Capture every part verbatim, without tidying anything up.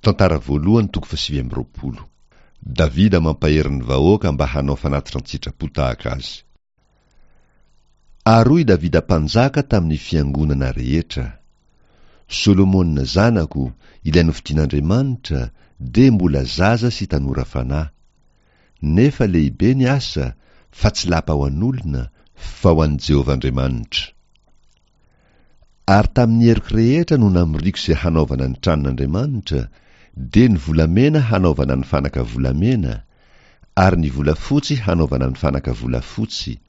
Tantara voalohany toko fahasivy amby roapolo. Davida mampahery ny vahoaka mba hanao fanatitra an-tsitrapo tahaka azy. Ary hoy Davida mpanjaka tamin'ny fiangonana rehetra: Solomona zanako, ilay nofidin'Andriamanitra, dia mbola zaza sy tanora fanahy. Nefa lehibe ny asa, fa tsy lapa ho an'olona, fa ho an'i Jehovah Andriamanitra. Ary tamin'ny heriko rehetra no namoriako izay hanaovana ny tranon'Andriamanitra, dia ny volamena hanaovana ny fanaka volamena, ary ny volafotsy hanaovana ny fanaka volafotsy,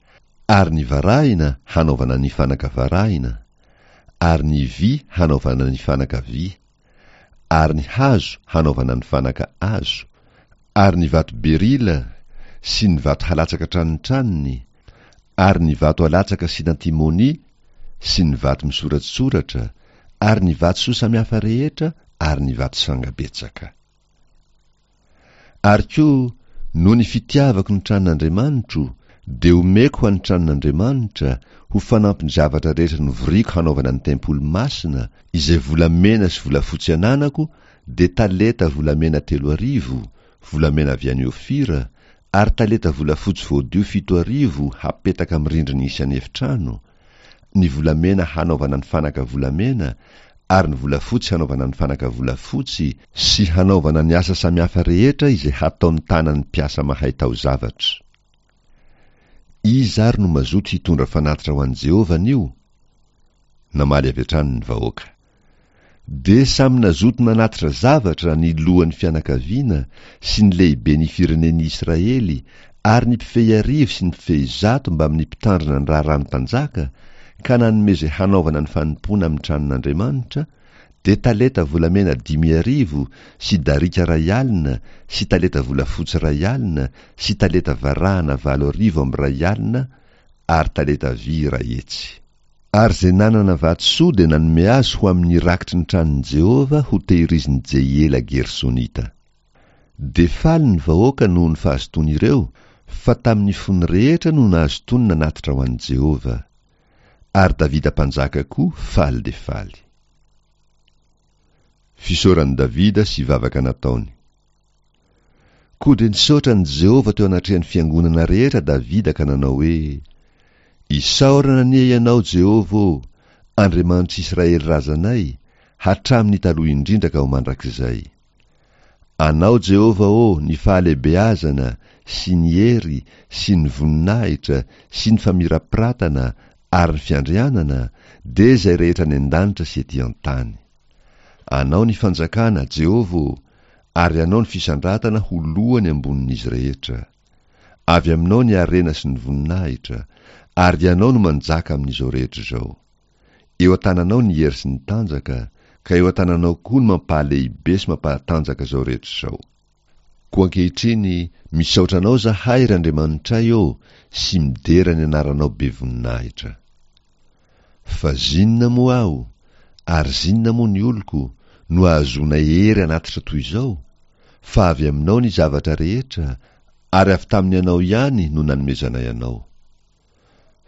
ary ny varahina hanaovana ny fanaka varahina, ary ny vy hanaovana ny fanaka vy, ary ny hazo hanaovana ny fanaka hazo, ary ny vato berila sy ny vato halatsaka tranotranony, ary ny vato alatsaka sy antimony sy ny vato misoratsoratra, ary ny vatosoa samihafa rehetra, ary ny vato sanga betsaka. Ary koa, noho ny fitiavako ny tranon'Andriamanitro, dia omeko ho an'ny tranon'Andriamanitra, ho fanampin'ny zavatra rehetra novoriko hanaovana ny tempoly masina, izay volamena sy volafotsy ananako, dia talenta volamena telo arivo, volamena avy any Ofira, ary talenta volafotsy voadio fito arivo hapetaka amin'ny rindrin'ny isan'ny efitrano, ny volamena hanaovana ny fanaka volamena, ary ny volafotsy hanaovana ny fanaka volafotsy, sy hanaovana ny asa samihafa rehetra izay hataon'ny tanan'ny mpiasa mahay taozavatra. Iza ary no mazoto hitondra fanatitra ho an'i Jehovah anio? Namaly avy hatrany ny vahoaka. Dia samy nazoto nanatitra zavatra ny lohan'ny fianakaviana sy ny lehiben'ny firenen'i Israely ary ny mpifehy arivo sy ny mpifehy zato mbamin'ny mpitandrina ny raharahan'ny mpanjaka, ka nanome izay hanaovana ny fanompoana amin'ny tranon'Andriamanitra, dia talenta volamena dimy arivo sy darika iray alina sy talenta volafotsy iray alina sy talenta varahana valo arivo amby iray alina ary talenta vy iray hetsy. Ary izay nanana vatosoa dia nanome azy ho amin'ny rakitry ny tranon'i Jehovah ho tehirizin'i Jehiela Gersonita. Dia faly ny vahoaka noho ny fahazotoan'ireo, fa tamin'ny fony rehetra no nahazotoany nanatitra ho an'i Jehovah. Ary Davida mpanjaka koa faly dia faly. Fisaoran'i Davida sy vavaka nataony. Koa dia nisaotra an'i Jehovah teo anatrehan'ny fiangonana rehetra Davida ka nanao hoe: Isaorana anie ianao, Jehovah ô, Andriamanitr'Israely razanay, hatramin'ny taloha indrindra ka ho mandrakizay. Anao, Jehovah ô, ny fahalehibeazana sy ny hery sy ny voninahitra sy ny famirapiratana ary ny fiandrianana, dia izay rehetra any an-danitra sy ety an-tany. Anao ny fanjakana, Jehovah ô, ary anao ny fisandratana ho lohany ambonin'izy rehetra. Avy aminao ny harena sy ny voninahitra, ary ianao no manjaka amin'izao rehetra izao. Eo an-tananao ny hery sy ny tanjaka, ka eo an-tananao koa ny mampahalehibe sy mampahatanjaka izao rehetra izao. Koa ankehitriny, misaotra anao zahay, ry Andriamanitray ô, sy midera ny anaranao be voninahitra. Fa zinona moa aho, ary zinona moa ny oloko, no ahazoanay hery hanatitra toy izao? Fa avy aminao ny zavatra rehetra, ary avy tamin'ny anao ihany no nanomezanay anao.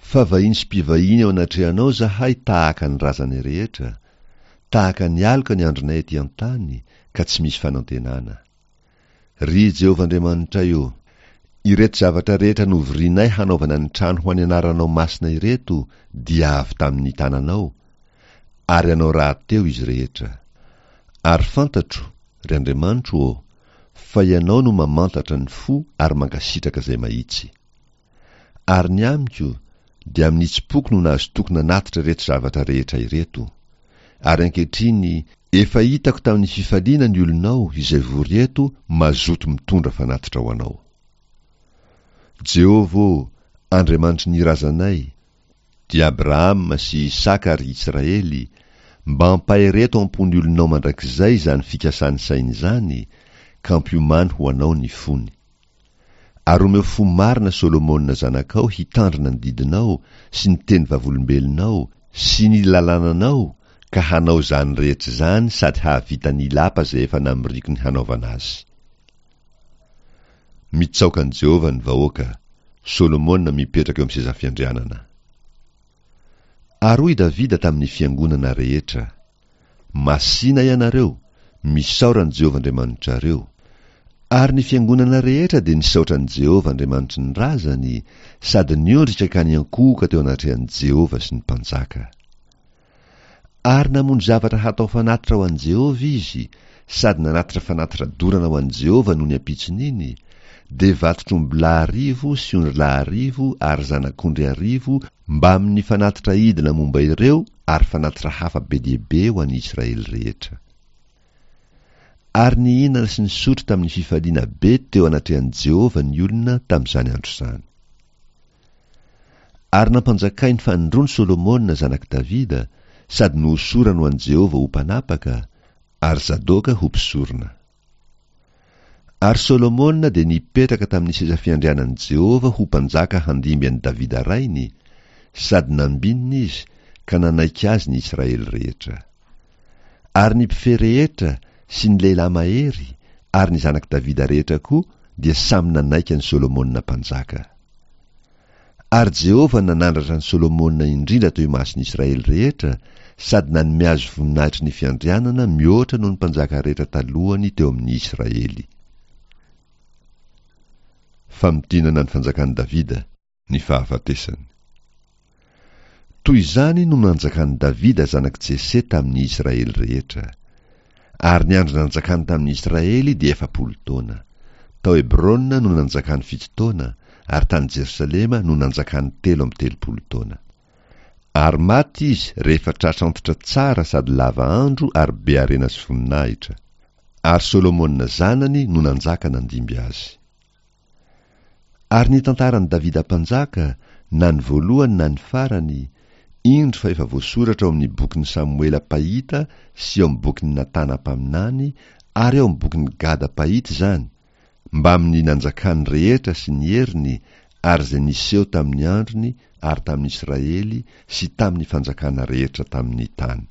Fa vahiny sy mpivahiny eo anatrehanao zahay tahaka ny razanay rehetra, tahaka ny aloka ny andronay ety an-tany, ka tsy misy fanantenana. Ry Jehovah Andriamanitray ô, ireto zavatra rehetra novorinay hanaovana ny trano ho an'ny anaranao masina ireto dia avy tamin'ny tananao, ary anao rahateo izy rehetra. Ary fantatro, ry Andriamanitro ô, fa ianao no mamantatra ny fo ary mankasitraka izay mahitsy. Ary ny amiko, dia amin'ny tsimpoko no nahazotoako nanatitra ireto zavatra rehetra ireto. Ary ankehitriny, efa hitako tamin'ny fifaliana ny olonao izay vory eto mazoto mitondra fanatitra ho anao. Jehovah ô, Andriamanitry ny razanay, dia Abrahama sy Isaka ary Israely, mba ampahereto am-pon'ny olonao mandrakizay izany fikasany sainy izany, ka ampiomany ho anao ny fony. Ary omeo fo marina Solomona zanakao hitandrina ny didinao sy ny teny vavolombelonao sy ny lalànanao, ka hanao izany rehetra izany sady hahavita ny lapa izay efa namoriako ny hanaovana azy. Mitsaoka an'i Jehovah ny vahoaka, Solomona mipetraka eo amin'ny seza fiandrianana. Ary hoy Davida tamin'ny fiangonana rehetra: Masìna ianareo, Misaora an'i Jehovah Andriamanitrareo. Ary ny fiangonana rehetra dia nisaotra an'i Jehovah Andriamanitry ny razany, sady niondrika ka niankohoka teo anatrehan'i Jehovah sy ny mpanjaka. Ary namono zavatra hatao fanatitra ho an'i Jehovah izy, sady nanatitra fanatitra dorana ho an'i Jehovah nony ampitson'iny, dia vatotr'ombilahy arivo sy ondrilahy arivo ary zanak'ondry arivo mbamin'ny fanatitra idina momba ireo ary fanatitra hafa be dia be ho an'ny Israely rehetra. Ary nihinana sy nisotro tamin'ny fifaliana be teo anatrehan'i Jehovah ny olona tamin'izany andro izany. Ary nampanjakainy fanindroany Solomona zanak'i Davida, sady nohosorany ho an'i Jehovah ho mpanapaka, ary Zadoka ho mpisorona. Ary Solomona dia nipetraka tamin'ny seza fiandrianan'i Jehovah ho mpanjaka handimby an'i Davida rainy, sady nambinina izy ka nanaiky azy ny Israely rehetra. Ary ny mpifehy rehetra sy ny lehilahy mahery ary ny zanak'i Davida rehetra koa dia samy nanaiky an'i Solomona mpanjaka. Ary Jehovah nanandratra an'i Solomona indrindra teo imason'ny Israely rehetra sady nanome azy voninahitry ny fiandrianana mihoatra noho ny mpanjaka rehetra talohany teo amin'ny Israely. Famintinana ny fanjakan'i Davida, ny fahafatesany. Toy izany no nanjakan'i Davida zanak'i Jese tamin'ny Israely rehetra. Ary ny andro nanjakany tamin'ny Israely dia efapolo taona. Tao Hebrona no nanjakany fito taona, ary tany Jerosalema no nanjakany telo amby telopolo taona. Ary maty izy rehefa tratra antitra tsara sady lava andro ary be harena sy voninahitra. Ary Solomona zanany no nanjaka nandimby azy. Ary ny tantaran'i Davida mpanjaka, na ny voalohany na ny farany, indro fa efa voasoratra ao amin'ny bokin'i Samoela mpahita sy ao amin'ny bokin'i Natana mpaminany ary ao amin'ny bokin'i Gada mpahita izany, mbamin'ny nanjakany rehetra sy ny heriny ary izay niseho tamin'ny androny ary tamin'ny Israely sy tamin'ny fanjakana rehetra tamin'ny tany.